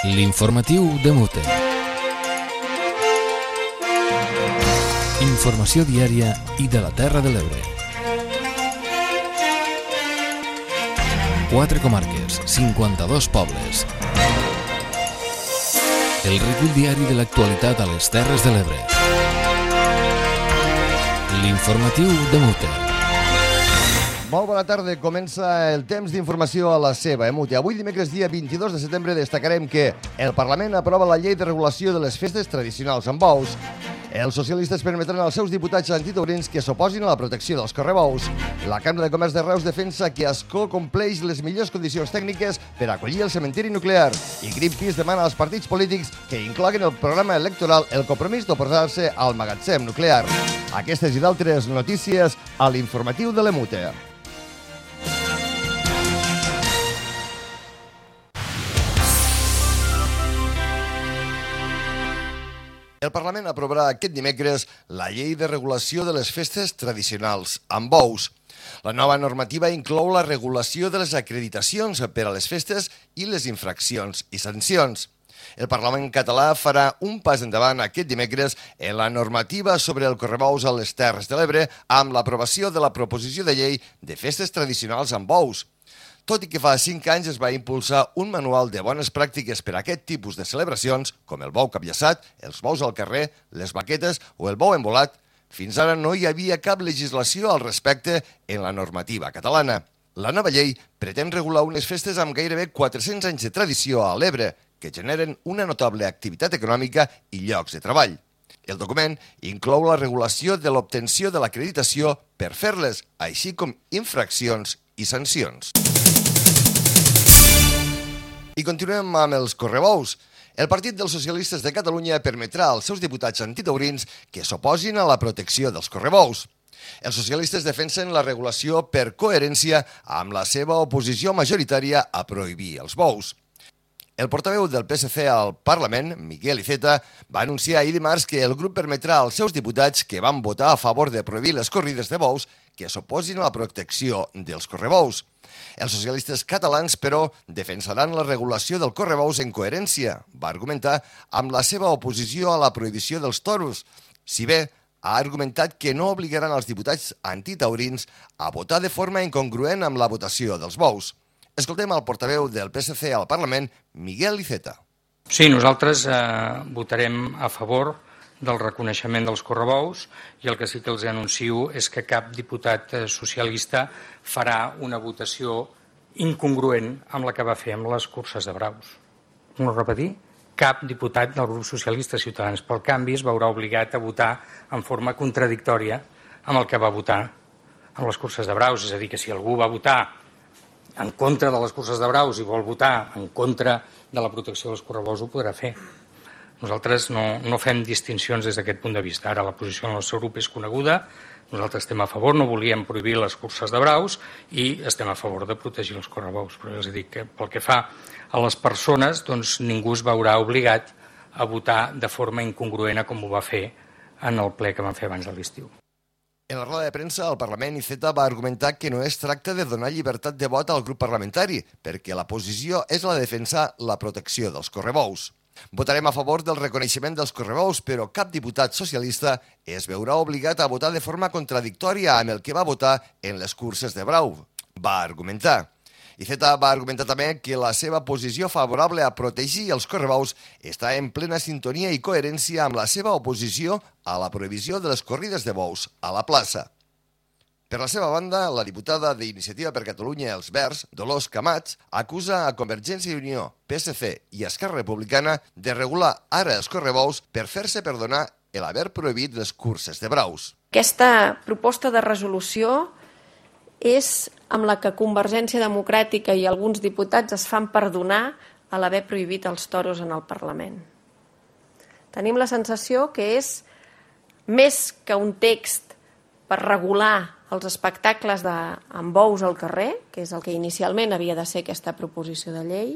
L'informatiu de Mute. Informació diària i de la Terra de l'Ebre. 4 comarques, 52 pobles. El recull diari de l'actualitat a les Terres de l'Ebre. L'informatiu de Mute. Molt bona tarda. Comença el temps d'informació a la seva, Mute. Avui, dimecres, dia 22 de setembre, destacarem que el Parlament aprova la llei de regulació de les festes tradicionals amb bous. Els socialistes permetran als seus diputats antitaurins que s'oposin a la protecció dels correbous. La Cambra de Comerç de Reus defensa que Ascó compleix les millors condicions tècniques per acollir el cementiri nuclear. I Greenpeace demana als partits polítics que incloguin el programa electoral el compromís d'oposar-se al magatzem nuclear. Aquestes i d'altres notícies a l'informatiu de l'Emute. El Parlament aprovarà aquest dimecres la llei de regulació de les festes tradicionals amb bous. La nova normativa inclou la regulació de les acreditacions per a les festes i les infraccions i sancions. El Parlament català farà un pas endavant aquest dimecres en la normativa sobre el correbous a les Terres de l'Ebre amb l'aprovació de la proposició de llei de festes tradicionals amb bous. Tot i que fa 5 anys es va impulsar un manual de bones pràctiques per a aquest tipus de celebracions, com el bou capllaçat, els bous al carrer, les baquetes o el bou embolat, fins ara no hi havia cap legislació al respecte en la normativa catalana. La nova llei pretén regular unes festes amb gairebé 400 anys de tradició a l'Ebre, que generen una notable activitat econòmica i llocs de treball. El document inclou la regulació de l'obtenció de l'acreditació per fer-les, així com infraccions i sancions. I continuem amb els correbous. El Partit dels Socialistes de Catalunya permetrà als seus diputats antitaurins que s'oposin a la protecció dels correbous. Els socialistes defensen la regulació per coherència amb la seva oposició majoritària a prohibir els bous. El portaveu del PSC al Parlament, Miguel Iceta, va anunciar ahir dimarts que el grup permetrà als seus diputats que van votar a favor de prohibir les corrides de bous que s'oposin a la protecció dels correbous. Els socialistes catalans, però, defensaran la regulació del correbous en coherència, va argumentar, amb la seva oposició a la prohibició dels toros, si bé ha argumentat que no obligaran els diputats antitaurins a votar de forma incongruent amb la votació dels bous. Escoltem el portaveu del PSC al Parlament, Miguel Iceta. Sí, nosaltres votarem a favor del reconeixement dels correbous i el que sí que els anuncio és que cap diputat socialista farà una votació incongruent amb la que va fer amb les curses de braus. No repetir? Cap diputat del grup socialista Ciutadans pel Canvi es veurà obligat a votar en forma contradictòria amb el que va votar amb les curses de braus. És a dir, que si algú va votar en contra de les curses de braus i vol votar en contra de la protecció dels correbous, ho podrà fer. Nosaltres no fem distincions des d'aquest punt de vista. Ara la posició del nostre grup és coneguda, nosaltres estem a favor, no volíem prohibir les curses de braus i estem a favor de protegir els correbous. Però ja els dic que pel que fa a les persones, doncs ningú es veurà obligat a votar de forma incongruent com ho va fer en el ple que vam fer abans de l'estiu. En la roda de premsa, el Parlament Iceta va argumentar que no es tracta de donar llibertat de vot al grup parlamentari, perquè la posició és la de defensar la protecció dels correbous. Votarem a favor del reconeixement dels correbous, però cap diputat socialista es veurà obligat a votar de forma contradictòria amb el que va votar en les curses de brau, va argumentar. Iceta va argumentar també que la seva posició favorable a protegir els correbous està en plena sintonia i coherència amb la seva oposició a la prohibició de les corrides de bous a la plaça. Per la seva banda, la diputada d'Iniciativa per Catalunya Els Verds, Dolors Camats, acusa a Convergència i Unió, PSC i Esquerra Republicana de regular ara els correbous per fer-se perdonar l'haver prohibit les curses de braus. Aquesta proposta de resolució és amb la que Convergència Democràtica i alguns diputats es fan perdonar a l'haver prohibit els toros en el Parlament. Tenim la sensació que és més que un text per regular els espectacles amb bous al carrer, que és el que inicialment havia de ser aquesta proposició de llei,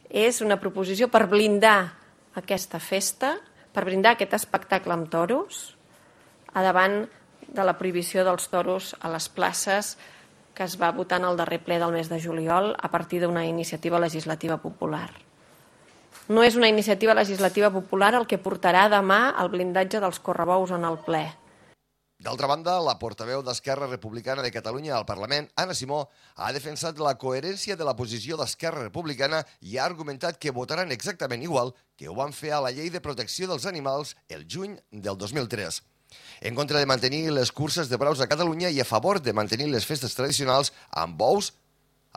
és una proposició per blindar aquesta festa, per blindar aquest espectacle amb toros, a davant de la prohibició dels toros a les places que es va votar en el darrer ple del mes de juliol a partir d'una iniciativa legislativa popular. No és una iniciativa legislativa popular el que portarà demà el blindatge dels correbous en el ple. D'altra banda, la portaveu d'Esquerra Republicana de Catalunya al Parlament, Anna Simó, ha defensat la coherència de la posició d'Esquerra Republicana i ha argumentat que votaran exactament igual que ho van fer a la Llei de Protecció dels Animals el juny del 2003. En contra de mantenir les curses de braus a Catalunya i a favor de mantenir les festes tradicionals amb bous,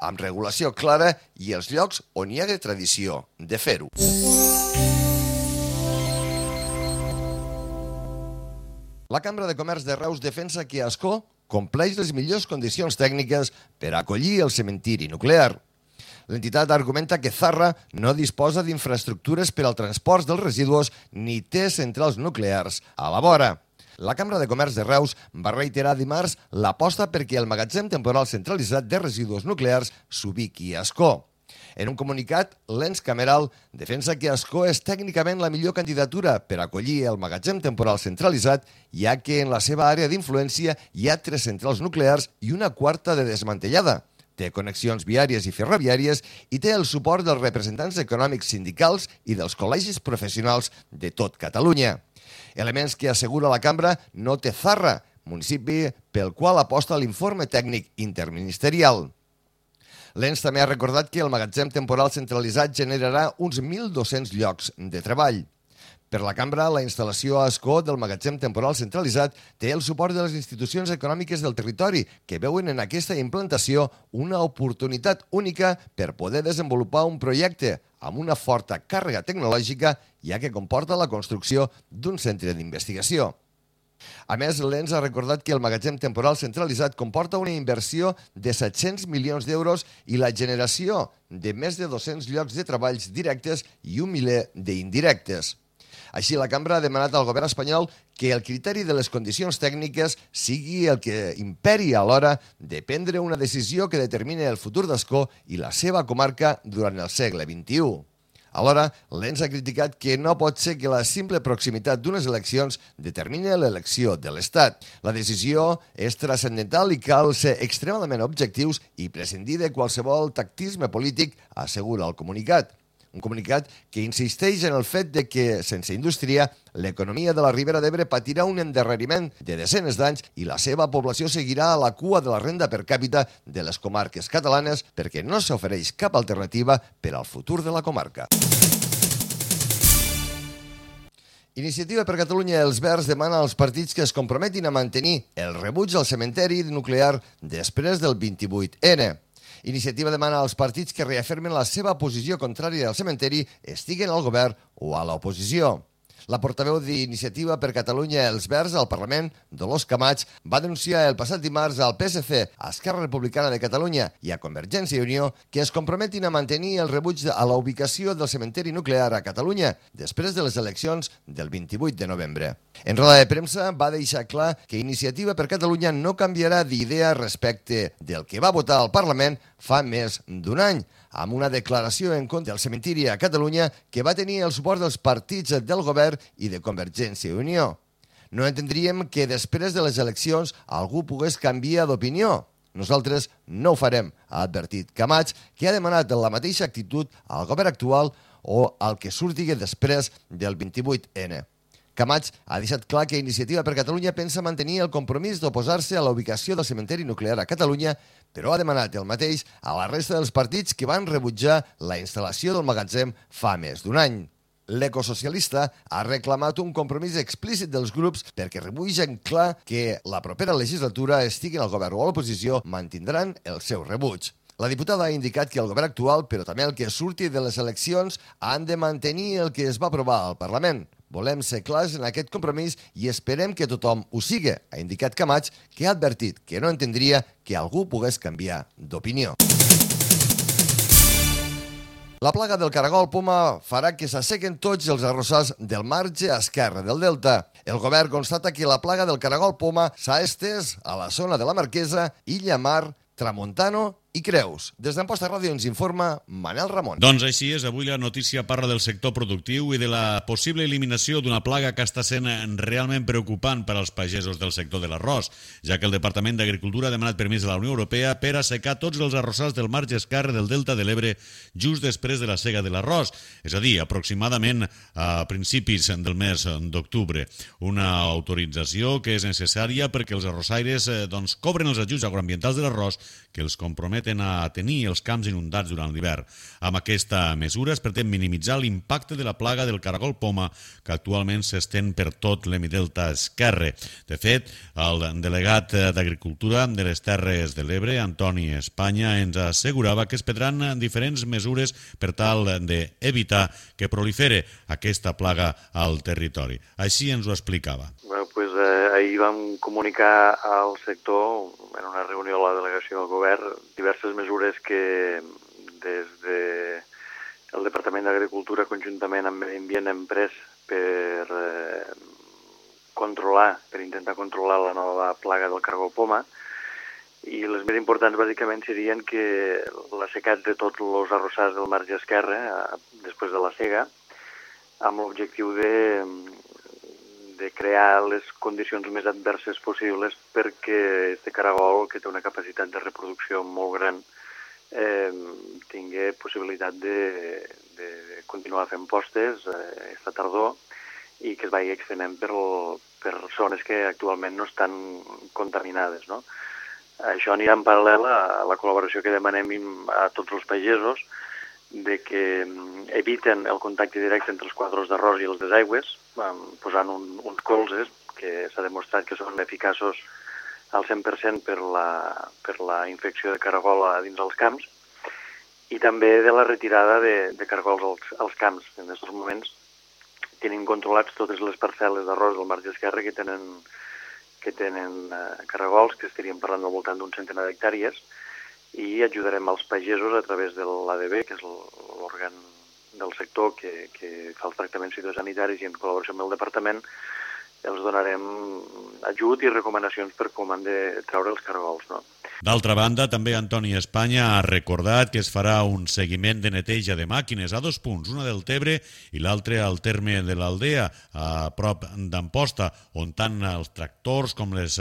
amb regulació clara i els llocs on hi ha tradició de fer-ho. La Cambra de Comerç de Reus defensa que Ascó compleix les millors condicions tècniques per acollir el cementiri nuclear. L'entitat argumenta que Zarra no disposa d'infraestructures per al transport dels residus ni té centrals nuclears a la vora. La Cambra de Comerç de Reus va reiterar dimarts l'aposta perquè el magatzem temporal centralitzat de residus nuclears s'ubiqui a Ascó. En un comunicat, l'ens cameral defensa que Ascó és tècnicament la millor candidatura per acollir el magatzem temporal centralitzat, ja que en la seva àrea d'influència hi ha 3 centrals nuclears i una quarta de desmantellada. Té connexions viàries i ferroviàries i té el suport dels representants econòmics sindicals i dels col·legis professionals de tot Catalunya. Elements que assegura la cambra no té Zarra, municipi pel qual aposta l'informe tècnic interministerial. L'ens també ha recordat que el magatzem temporal centralitzat generarà uns 1.200 llocs de treball. Per la cambra, la instal·lació a Ascó del magatzem temporal centralitzat té el suport de les institucions econòmiques del territori, que veuen en aquesta implantació una oportunitat única per poder desenvolupar un projecte amb una forta càrrega tecnològica, ja que comporta la construcció d'un centre d'investigació. A més, l'ens ha recordat que el magatzem temporal centralitzat comporta una inversió de 700 milions d'euros i la generació de més de 200 llocs de treballs directes i un miler d'indirectes. Així, la cambra ha demanat al govern espanyol que el criteri de les condicions tècniques sigui el que imperi a l'hora de prendre una decisió que determini el futur d'Ascó i la seva comarca durant el segle XXI. Alhora, l'ens ha criticat que no pot ser que la simple proximitat d'unes eleccions determini l'elecció de l'Estat. La decisió és transcendental i cal ser extremadament objectius i prescindir de qualsevol tactisme polític, assegura el comunicat. Un comunicat que insisteix en el fet de que, sense indústria, l'economia de la Ribera d'Ebre patirà un endarreriment de desenes d'anys i la seva població seguirà a la cua de la renda per càpita de les comarques catalanes perquè no s'ofereix cap alternativa per al futur de la comarca. Iniciativa per Catalunya i els Verds demana als partits que es comprometin a mantenir el rebuig al cementeri nuclear després del 28N. Iniciativa demana als partits que reafirmen la seva posició contrària al cementeri, estiguen al govern o a l'oposició. La portaveu d'Iniciativa per Catalunya i els Verds al Parlament, Dolors Camats, va denunciar el passat dimarts al PSC, a Esquerra Republicana de Catalunya i a Convergència i Unió que es comprometin a mantenir el rebuig a la ubicació del cementeri nuclear a Catalunya després de les eleccions del 28 de novembre. En roda de premsa va deixar clar que Iniciativa per Catalunya no canviarà d'idea respecte del que va votar al Parlament fa més d'un any, amb una declaració en contra del cementiri a Catalunya que va tenir el suport dels partits del govern i de Convergència i Unió. No entendríem que després de les eleccions algú pogués canviar d'opinió. Nosaltres no ho farem, ha advertit Camats, que ha demanat la mateixa actitud al govern actual o al que surti després del 28N. Camats ha deixat clar que Iniciativa per Catalunya pensa mantenir el compromís d'oposar-se a la ubicació del cementeri nuclear a Catalunya, però ha demanat el mateix a la resta dels partits que van rebutjar la instal·lació del magatzem fa més d'un any. L'ecosocialista ha reclamat un compromís explícit dels grups perquè rebutgen clar que la propera legislatura, estiguin al govern o a l'oposició, mantindran el seu rebuig. La diputada ha indicat que el govern actual, però també el que surti de les eleccions, han de mantenir el que es va aprovar al Parlament. Volem ser clars en aquest compromís i esperem que tothom ho sigui, ha indicat Camats, que ha advertit que no entendria que algú pogués canviar d'opinió. La plaga del caragol poma farà que s'assequen tots els arrossars del marge esquerre del delta. El govern constata que la plaga del caragol poma s'ha estès a la zona de la Marquesa, Illa Mar, Tramontano i Creus. Des d'Amposta Ràdio ens informa Manel Ramon. Doncs així és, avui la notícia parla del sector productiu i de la possible eliminació d'una plaga que està sent realment preocupant per als pagesos del sector de l'arròs, ja que el Departament d'Agricultura ha demanat permís a la Unió Europea per assecar tots els arrossars del marge esquerre del Delta de l'Ebre just després de la sega de l'arròs, és a dir, aproximadament a principis del mes d'octubre. Una autorització que és necessària perquè els arrossaires cobren els ajuts agroambientals de l'arròs que els comprometen a tenir els camps inundats durant l'hivern. Amb aquesta mesura es pretén minimitzar l'impacte de la plaga del caragol poma que actualment s'estén per tot l'hemidelta esquerre. De fet, el delegat d'Agricultura de les Terres de l'Ebre, Antoni Espanya, ens assegurava que es prendran diferents mesures per tal d'evitar que prolifere aquesta plaga al territori. Així ens ho explicava. Ahir vam comunicar al sector, en una reunió a la delegació del govern, diverses mesures que des del Departament d'Agricultura conjuntament amb Medi Ambient hem pres per intentar controlar la nova plaga del caragol poma, i les més importants bàsicament serien que l'assecat de tots els arrossars del marge esquerre després de la sega, amb l'objectiu de crear les condicions més adverses possibles perquè este caragol, que té una capacitat de reproducció molt gran, tingui possibilitat de continuar fent postes esta tardor i que es vagi extenent per zones que actualment no estan contaminades, no? Això anirà en paral·lel a la col·laboració que demanem a tots els pagesos de que eviten el contacte directe entre els quadros d'arròs i els desaigües, posant uns colzes que s'ha demostrat que són eficaços al 100% per la infecció de caragola dins els camps, i també de la retirada de caragols als camps. En aquests moments tenim controlats totes les parcel·les d'arròs del marge esquerre que tenen caragols, que estaríem parlant al voltant d'un centenar d'hectàrees, i ajudarem als pagesos a través de l'ADB, que és l'òrgan del sector que fa els tractaments fitosanitaris, i en col·laboració amb el departament els donarem ajut i recomanacions per com han de treure els caragols, no? D'altra banda, també Antoni Espanya ha recordat que es farà un seguiment de neteja de màquines a 2 punts, una del Tebre i l'altra al terme de l'Aldea, a prop d'Amposta, on tant els tractors com les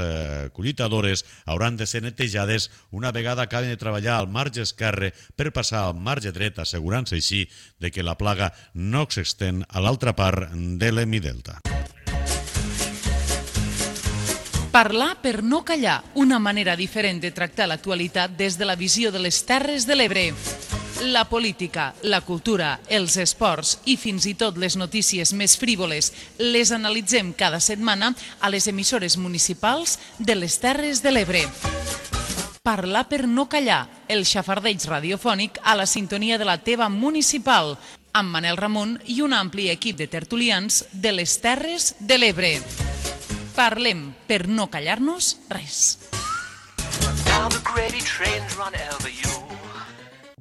collitadores hauran de ser netejades una vegada acaben de treballar al marge esquerre per passar al marge dret, assegurant-se així de que la plaga no s'estén a l'altra part de l'hemidelta. Parlar per no callar, una manera diferent de tractar l'actualitat des de la visió de les Terres de l'Ebre. La política, la cultura, els esports i fins i tot les notícies més frívoles les analitzem cada setmana a les emissores municipals de les Terres de l'Ebre. Parlar per no callar, el xafardeig radiofònic a la sintonia de la teva municipal, amb Manel Ramon i un ampli equip de tertulians de les Terres de l'Ebre. Parlem per no callar-nos res.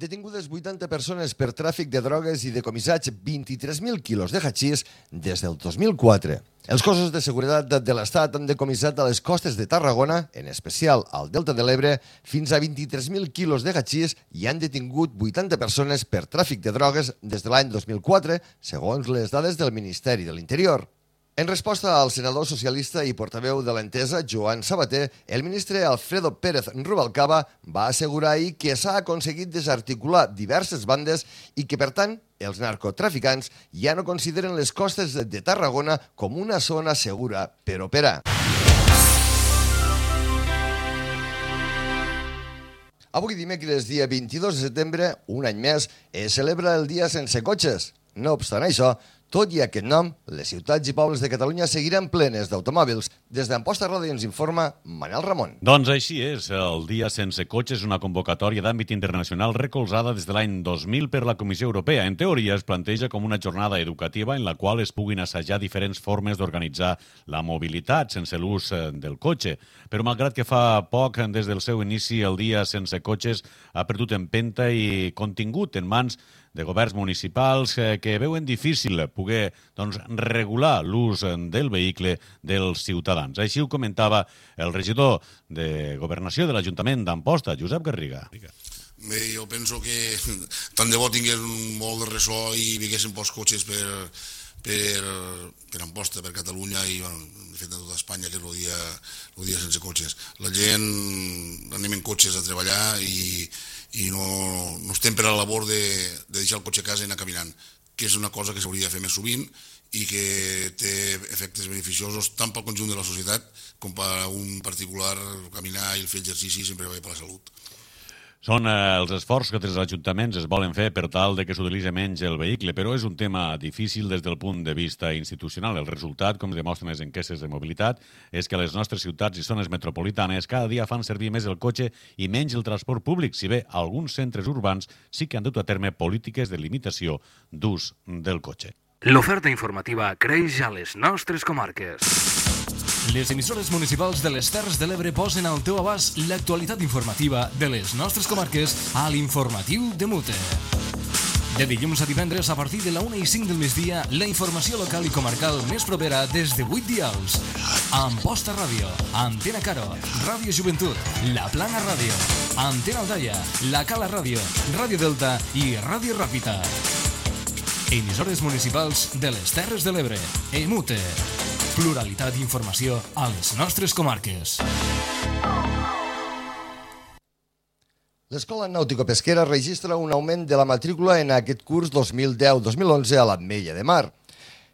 Detingudes 80 persones per tràfic de drogues i decomissats 23.000 quilos de hachís des del 2004. Els cossos de seguretat de l'Estat han decomissat a les costes de Tarragona, en especial al Delta de l'Ebre, fins a 23.000 quilos de hachís i han detingut 80 persones per tràfic de drogues des de l'any 2004, segons les dades del Ministeri de l'Interior. En resposta al senador socialista i portaveu de l'Entesa, Joan Sabater, el ministre Alfredo Pérez Rubalcaba va assegurar ahir que s'ha aconseguit desarticular diverses bandes i que, per tant, els narcotraficants ja no consideren les costes de Tarragona com una zona segura per operar. Avui dimecres, dia 22 de setembre, un any més, es celebra el Dia Sense Cotxes. No obstant això, tot i aquest nom, les ciutats i pobles de Catalunya seguiran plenes d'automòbils. Des d'Amposta Ràdio ens informa Manel Ramon. Doncs així és. El Dia Sense Cotxes és una convocatòria d'àmbit internacional recolzada des de l'any 2000 per la Comissió Europea. En teoria, es planteja com una jornada educativa en la qual es puguin assajar diferents formes d'organitzar la mobilitat sense l'ús del cotxe. Però malgrat que fa poc, des del seu inici, el Dia Sense Cotxes ha perdut empenta i contingut en mans de governs municipals que veuen difícil poder regular l'ús del vehicle dels ciutadans. Així ho comentava el regidor de Governació de l'Ajuntament d'Amposta, Josep Garriga. Bé, jo penso que tant de bo tingués un molt de ressò i vinguessin pocs cotxes per Amposta, per Catalunya i, de fet, a tota Espanya, que és el dia sense cotxes. La gent anem en cotxes a treballar i no estem per a la labor de deixar el cotxe a casa i anar caminant, que és una cosa que s'hauria de fer més sovint i que té efectes beneficiosos tant pel conjunt de la societat com per a un particular. Caminar i fer exercici sempre va bé per la salut. Són els esforços que els ajuntaments es volen fer per tal de que s'utilitzi menys el vehicle, però és un tema difícil des del punt de vista institucional. El resultat, com demostren les enquestes de mobilitat, és que les nostres ciutats i zones metropolitanes cada dia fan servir més el cotxe i menys el transport públic, si bé alguns centres urbans sí que han dut a terme polítiques de limitació d'ús del cotxe. L'oferta informativa creix a les nostres comarques. Les emissores municipals de les Terres de l'Ebre posen al teu abast l'actualitat informativa de les nostres comarques a l'Informatiu de Mute. De dilluns a divendres a partir de la 1:05 del migdia, la informació local i comarcal més propera des de 8 dials. Amposta Ràdio, Antena Caro, Ràdio Joventut, La Plana Ràdio, Antena Aldaia, La Cala Ràdio, Ràdio Delta i Ràdio Ràpita. Emissores municipals de les Terres de l'Ebre, EMUTE. Pluralitat d'informació a les nostres comarques. L'Escola Nàutico-Pesquera registra un augment de la matrícula en aquest curs 2010-2011 a l'Ametlla de Mar.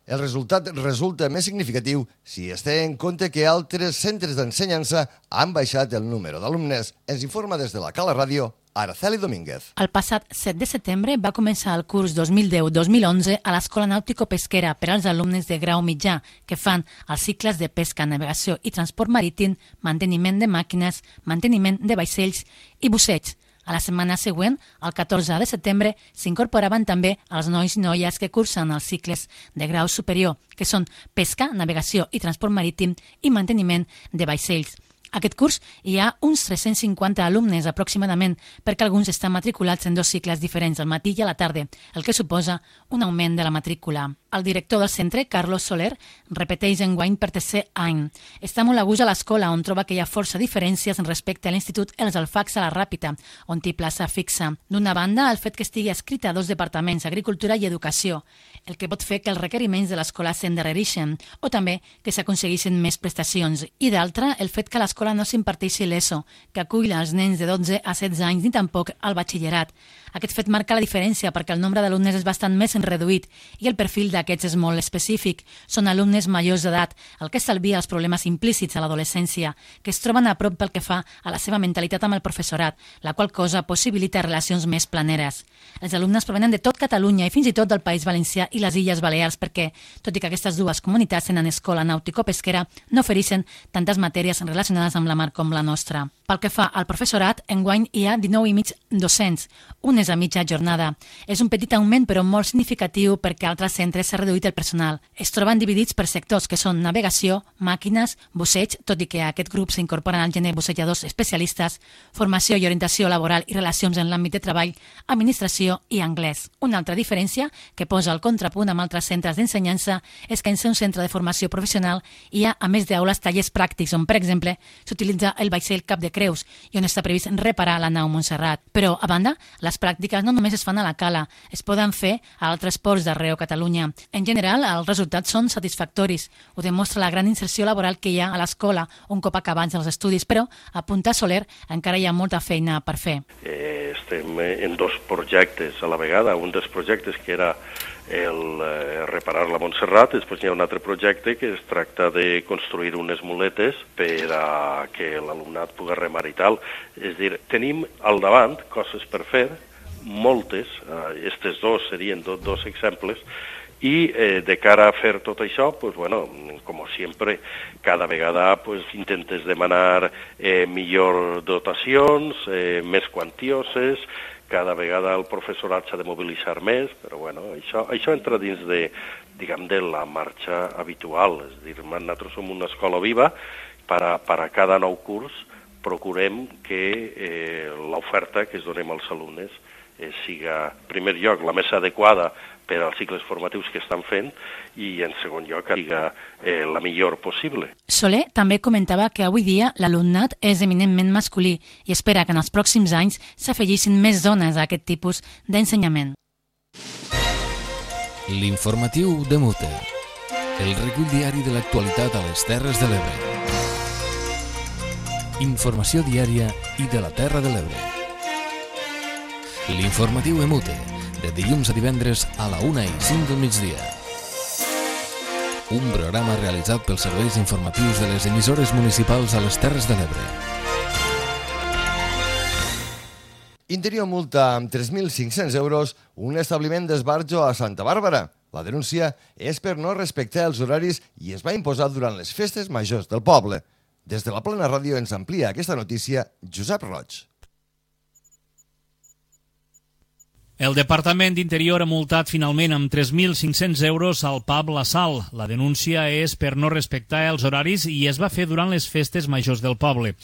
El resultat resulta més significatiu si es té en compte que altres centres d'ensenyança han baixat el número d'alumnes. Ens informa des de la Cala Ràdio Araceli Domínguez. El passat 7 de setembre va començar el curs 2010-2011 a l'Escola Nàutico-Pesquera per als alumnes de grau mitjà que fan els cicles de pesca, navegació i transport marítim, manteniment de màquines, manteniment de vaixells i busseig. A la setmana següent, el 14 de setembre, s'incorporaven també els nois i noies que cursen els cicles de grau superior, que són pesca, navegació i transport marítim i manteniment de vaixells. Aquest curs hi ha uns 350 alumnes aproximadament, perquè alguns estan matriculats en 2 cicles diferents, al matí i a la tarda, el que suposa un augment de la matrícula. El director del centre, Carlos Soler, repeteix enguany per tercer any. Està molt a gust a l'escola, on troba que hi ha força diferències respecte a l'Institut Els Alfacs a la Ràpita, on té plaça fixa. D'una banda, el fet que estigui escrita a 2 departaments, Agricultura i Educació, el que pot fer que els requeriments de l'escola s'endarrereixin, o també que s'aconsegueixin més prestacions. I d'altra, el fet que l'escola no s'imparteixi l'ESO, que acull els nens de 12 a 16 anys, ni tampoc el batxillerat. Aquest fet marca la diferència perquè el nombre d'alumnes és bastant més reduït i el perfil d'aquests és molt específic. Són alumnes majors d'edat, el que estalvia els problemes implícits a l'adolescència, que es troben a prop pel que fa a la seva mentalitat amb el professorat, la qual cosa possibilita relacions més planeres. Els alumnes provenen de tot Catalunya i fins i tot del País Valencià i les Illes Balears perquè, tot i que aquestes dues comunitats tenen escola nàutico-pesquera, no ofereixen tantes matèries relacionades amb la mar com la nostra. Pel que fa al professorat, enguany hi ha 19 i mig docents, un és a mitja jornada. És un petit augment però molt significatiu perquè a altres centres s'ha reduït el personal. Es troben dividits per sectors que són navegació, màquines, busseig, tot i que a aquest grup s'incorporen al gener bussejadors especialistes, formació i orientació laboral i relacions en l'àmbit de treball, administració i anglès. Una altra diferència que posa el contrapunt amb altres centres d'ensenyança és que en ser un centre de formació professional hi ha, a més d'aules, tallers pràctics on, per exemple, s'utilitza el vaixell Cap de Creus i on està previst reparar la nau Montserrat. Però, a banda, les pràctiques no només es fan a la Cala, es poden fer a altres ports d'arreu Catalunya. En general, els resultats són satisfactoris. Ho demostra la gran inserció laboral que hi ha a l'escola un cop acabats els estudis, però, apunta Soler, encara hi ha molta feina per fer. Estem en 2 projectes a la vegada. Un dels projectes que era el reparar la Montserrat, després hi ha un altre projecte que es tracta de construir unes muletes per a que l'alumnat pugui remar i tal. És a dir, tenim al davant coses per fer, moltes, aquests 2 serien 2 exemples, i de cara a fer tot això, pues, bueno, com sempre, cada vegada pues, intentes demanar millor dotacions, més quantioses, cada vegada el professorat s'ha de mobilitzar més, però bueno, això entra dins de la marxa habitual. És a dir, nosaltres som una escola viva, per a cada nou curs procurem que l'oferta que es donem als alumnes siga, en primer lloc, la més adequada per als cicles formatius que estan fent i, en segon lloc, que siga la millor possible. Soler també comentava que avui dia l'alumnat és eminentment masculí i espera que en els pròxims anys s'afegissin més dones a aquest tipus d'ensenyament. L'informatiu de Mute, el recull diari de l'actualitat a les Terres de l'Ebre. Informació diària i de la Terra de l'Ebre. L'informatiu de Mute, de dilluns a divendres a la 1:05 del migdia. Un programa realitzat pels serveis informatius de les emissores municipals a les Terres de l'Ebre. Interior multa amb 3.500 euros un establiment d'esbarjo a Santa Bàrbara. La denúncia és per no respectar els horaris i es va imposar durant les festes majors del poble. Des de la Plana Ràdio ens amplia aquesta notícia Josep Roig. El Departament d'Interior ha multat finalment amb 3.500 euros al pub La Sal. La denúncia és per no respectar els horaris i es va fer durant les festes majors del poble.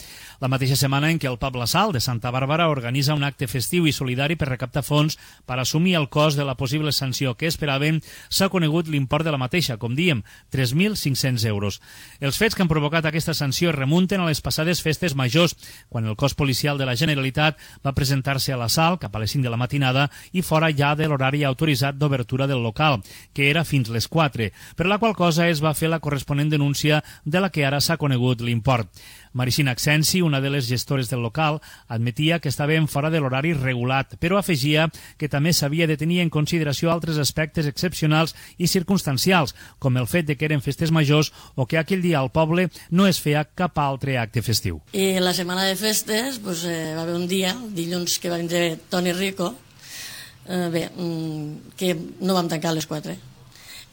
La mateixa setmana en què el pub La Sal de Santa Bàrbara organitza un acte festiu i solidari per recaptar fons per assumir el cost de la possible sanció que esperaven, s'ha conegut l'import de la mateixa, com diem, 3.500 euros. Els fets que han provocat aquesta sanció es remunten a les passades festes majors, quan el cos policial de la Generalitat va presentar-se a La Sal cap a les 5 de la matinada i fora ja de l'horari autoritzat d'obertura del local, que era fins les 4, per la qual cosa es va fer la corresponent denúncia de la que ara s'ha conegut l'import. Maricina Accensi, una de les gestores del local, admetia que estaven fora de l'horari regulat, però afegia que també s'havia de tenir en consideració altres aspectes excepcionals i circumstancials, com el fet de que eren festes majors o que aquell dia al poble no es feia cap altre acte festiu. I la setmana de festes va haver un dia, el dilluns, que va vindre Toni Rico, que no vam tancar a les 4.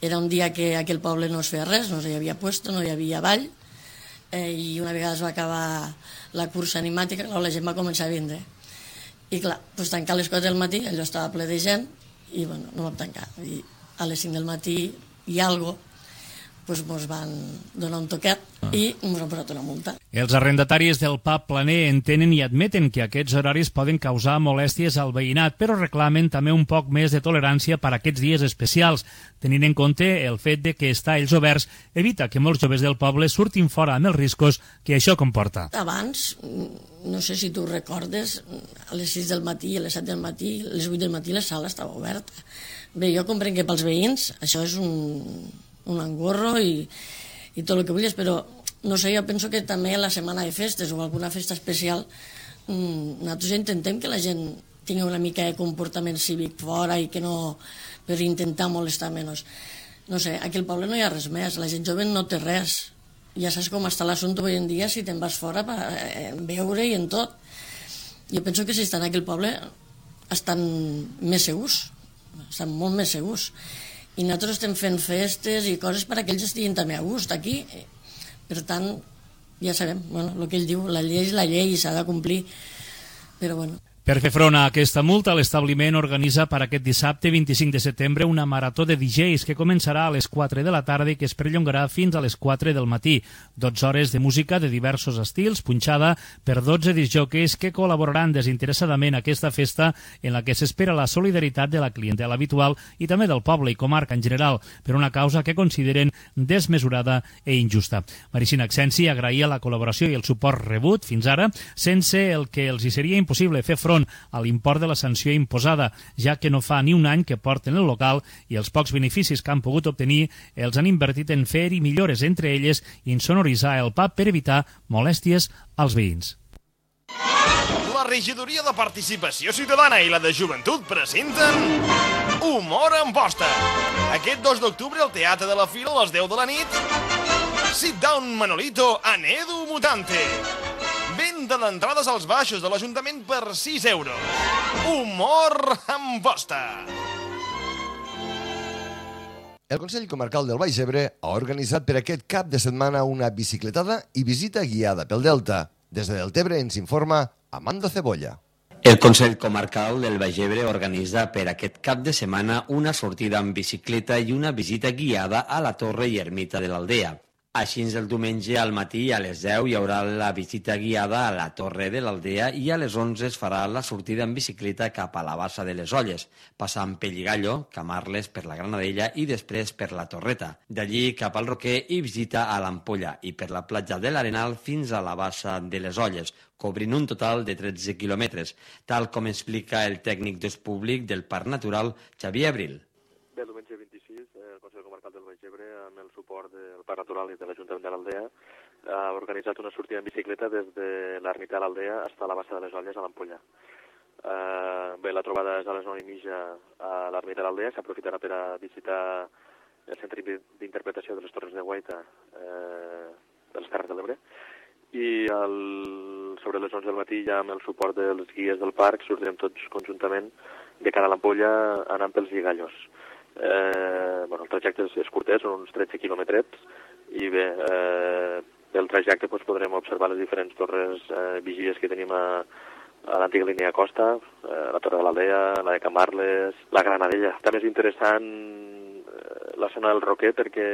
Era un dia que aquell poble no es feia res, no hi havia puesto, no hi havia ball, i una vegada es va acabar la cursa animàtica, la gent va començar a vindre. I clar, tancar a les 4 del matí, allò estava ple de gent, i no vam tancar. I a les 5 del matí i algo, ens van donar un toquet i ens han posat una multa. Els arrendataris del pub planer entenen i admeten que aquests horaris poden causar molèsties al veïnat, però reclamen també un poc més de tolerància per a aquests dies especials, tenint en compte el fet de que estar ells oberts evita que molts joves del poble surtin fora amb els riscos que això comporta. Abans, no sé si tu recordes, a les 6 del matí, a les 7 del matí, a les 8 del matí la sala estava oberta. Bé, jo comprenc que pels veïns això és un engorro i tot el que vulguis, però no sé, jo penso que també la setmana de festes o alguna festa especial nosaltres intentem que la gent tingui una mica de comportament cívic fora i que no, per intentar molestar menys. No sé, aquí al poble no hi ha res més, la gent jove no té res, ja saps com està l'assumpte avui en dia si te'n vas fora per beure i en tot. Jo penso que si estan aquí al poble estan més segurs, estan molt més segurs. I nosaltres estem fent festes i coses per a que ells estiguin també a gust aquí. Per tant, ja sabem, el que ell diu, la llei és la llei i s'ha de complir, però bueno. Per fer front a aquesta multa, l'establiment organitza per aquest dissabte 25 de setembre una marató de DJs que començarà a les 4 de la tarda i que es perllongarà fins a les 4 del matí. 12 hores de música de diversos estils, punxada per 12 disjòqueis que col·laboraran desinteressadament a aquesta festa en la que s'espera la solidaritat de la clientela habitual i també del poble i comarca en general, per una causa que consideren desmesurada e injusta. Maricina Accensi agraïa la col·laboració i el suport rebut fins ara, sense el que els hi seria impossible fer front a l'import de la sanció imposada, ja que no fa ni un any que porten el local i els pocs beneficis que han pogut obtenir els han invertit en fer-hi millores, entre elles insonoritzar el pub per evitar molèsties als veïns. La regidoria de Participació Ciutadana i la de Joventut presenten Humor en Posta. Aquest 2 d'octubre al Teatre de la Fira a les 10 de la nit, Sit Down Manolito en Edu Mutante. Venda d'entrades als baixos de l'Ajuntament per 6 euros. Humor en Posta. El Consell Comarcal del Baix Ebre ha organitzat per aquest cap de setmana una bicicletada i visita guiada pel Delta. Des de Deltebre ens informa Amanda Cebolla. El Consell Comarcal del Baix Ebre organitza per aquest cap de setmana una sortida amb bicicleta i una visita guiada a la Torre i Ermita de l'Aldea. Així, el diumenge al matí a les 10 hi haurà la visita guiada a la Torre de l'Aldea i a les 11 es farà la sortida en bicicleta cap a la Bassa de les Olles, passant Pelligallo, Camarles per la Granadella i després per la Torreta. D'allí cap al Roquer i visita a l'Ampolla i per la platja de l'Arenal fins a la Bassa de les Olles, cobrint un total de 13 quilòmetres, tal com explica el tècnic d'ús públic del Parc Natural, Xavier Abril. Bé, el diumenge 26, el Consell Comarcal del Baix Ebre, amb el suport del Parc Natural i de l'Ajuntament de l'Aldea, ha organitzat una sortida en bicicleta des de l'ermita de l'Aldea fins a la Bassa de les Olles a l'Ampolla. Bé, la trobada és a les 9:30 a l'ermita de l'Aldea, s'aprofitarà per a visitar el Centre d'Interpretació de les Torres de Guaita de les Terres de l'Ebre, i sobre les 11 del matí, ja amb el suport dels guies del parc, sortirem tots conjuntament de cara a l'Ampolla anant pels Lligallos. El trajecte és curtet, són uns 13 quilòmetres, i bé, el trajecte podrem observar les diferents torres vigies que tenim a l'antiga línia de costa, la Torre de l'Aldea, la de Camarles, la Granadella. També és interessant la zona del Roquer perquè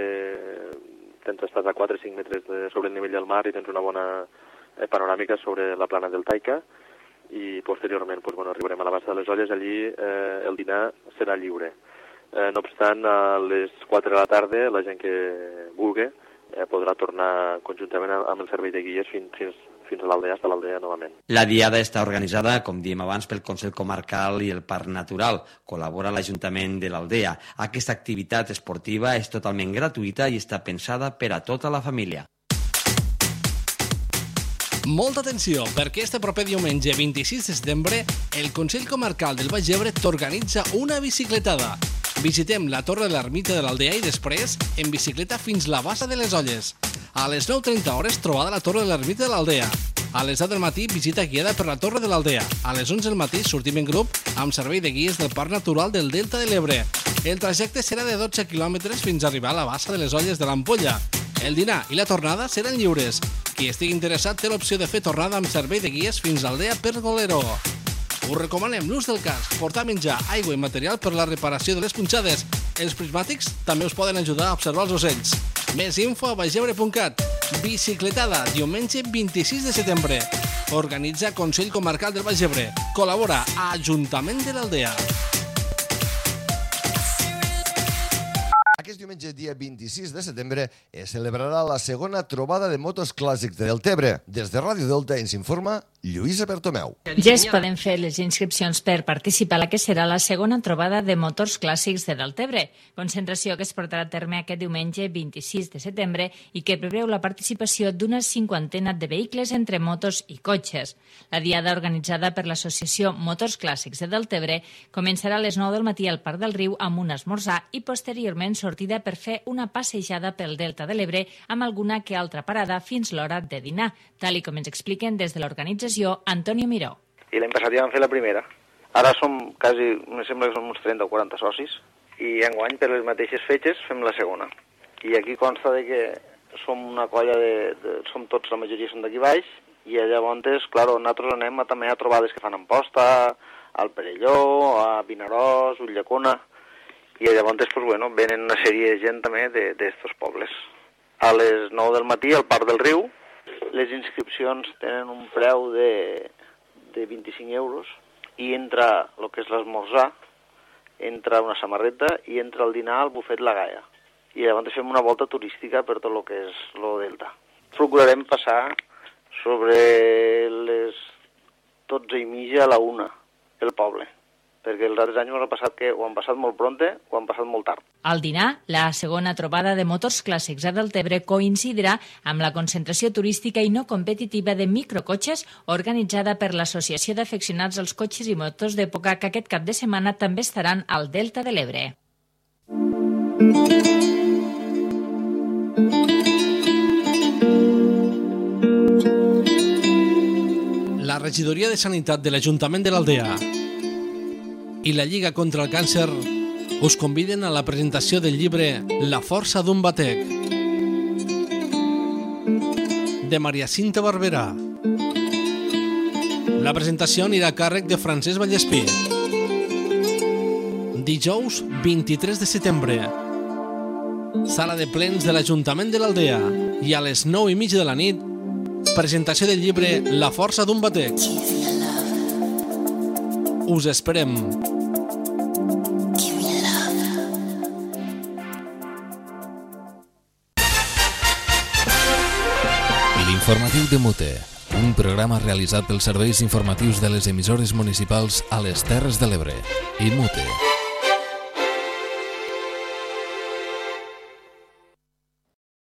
estàs a 4 o 5 metres sobre el nivell del mar i tens una bona panoràmica sobre la plana del Taica, i posteriorment arribarem a la Bassa de les Olles. Allí el dinar serà lliure. No obstant, a les 4 de la tarda la gent que vulgui podrà tornar conjuntament amb el servei de guies fins a l'Aldea, fins a l'Aldea novament. La diada està organitzada, com diem abans, pel Consell Comarcal i el Parc Natural. Col·labora l'Ajuntament de l'Aldea. Aquesta activitat esportiva és totalment gratuïta i està pensada per a tota la família. Molta atenció, perquè este proper diumenge 26 de setembre el Consell Comarcal del Baix Ebre t'organitza una bicicletada. Visitem la Torre de l'Ermita de l'Aldea i després en bicicleta fins la Bassa de les Olles. A les 9:30 hores trobada a la Torre de l'Ermita de l'Aldea. A les 10 del matí visita guiada per la Torre de l'Aldea. A les 11 del matí sortim en grup amb servei de guies del Parc Natural del Delta de l'Ebre. El trajecte serà de 12 quilòmetres fins a arribar a la Bassa de les Olles de l'Ampolla. El dinar i la tornada seran lliures. Qui estigui interessat té l'opció de fer tornada amb servei de guies fins a Aldea per Golero. Us recomanem l'ús del casc, portar menjar, aigua i material per la reparació de les punxades. Els prismàtics també us poden ajudar a observar els ocells. Més info a baixebre.cat. Bicicletada, diumenge 26 de setembre. Organitza Consell Comarcal del Baix Ebre. Col·labora a Ajuntament de l'Aldea. Aquest diumenge, dia 26 de setembre, es celebrarà la segona trobada de motos clàssics de Deltebre. Des de Ràdio Delta ens informa Lluïsa Bertomeu. Ja es poden fer les inscripcions per participar a la que serà la segona trobada de motors clàssics de Deltebre, concentració que es portarà a terme aquest diumenge 26 de setembre i que preveu la participació d'una 50ena de vehicles entre motos i cotxes. La diada organitzada per l'Associació Motors Clàssics de Deltebre començarà a les 9 del matí al Parc del Riu amb un esmorzar i posteriorment sortida per fer una passejada pel Delta de l'Ebre amb alguna que altra parada fins l'hora de dinar, tal com ens expliquen des de l'organització Antonio Miró. I l'any passat ja vam fer la primera. Ara som quasi, me sembla que som uns 30 o 40 socis, i enguany per les mateixes fetges fem la segona. I aquí consta de que som una colla som tots, la majoria són d'aquí baix, i llavors, clar, nosaltres anem també a trobades que fan a Amposta, al Perelló, a Vinaròs, Ulldecona, i llavors, venen una sèrie de gent també d'estos pobles. A les 9 del matí, al Parc del Riu, les inscripcions tenen un preu de 25 euros i entra el que és l'esmorzar, entra una samarreta i entra el dinar al bufet La Gaia. I llavors fem una volta turística per tot el que és el Delta. Procurarem passar sobre les 12:30 a la 1 el poble, perquè els altres anys m'ha passat que ho han passat molt pronte o han passat molt tard. Al dinar, la segona trobada de motors clàssics a Deltebre coincidirà amb la concentració turística i no competitiva de microcotxes organitzada per l'Associació d'Afeccionats als Cotxes i Motos d'Època, que aquest cap de setmana també estaran al Delta de l'Ebre. La Regidoria de Sanitat de l'Ajuntament de l'Aldea i la Lliga contra el Càncer us conviden a la presentació del llibre La força d'un batec, de Maria Cinta Barberà. La presentació anirà a càrrec de Francesc Vallespí. Dijous 23 de setembre. Sala de plens de l'Ajuntament de l'Aldea. i a les 9:30 de la nit, presentació del llibre La força d'un batec. Us esperem. L'informatiu de Mute, un programa realitzat pels serveis informatius de les emissores municipals a les Terres de l'Ebre i Mute.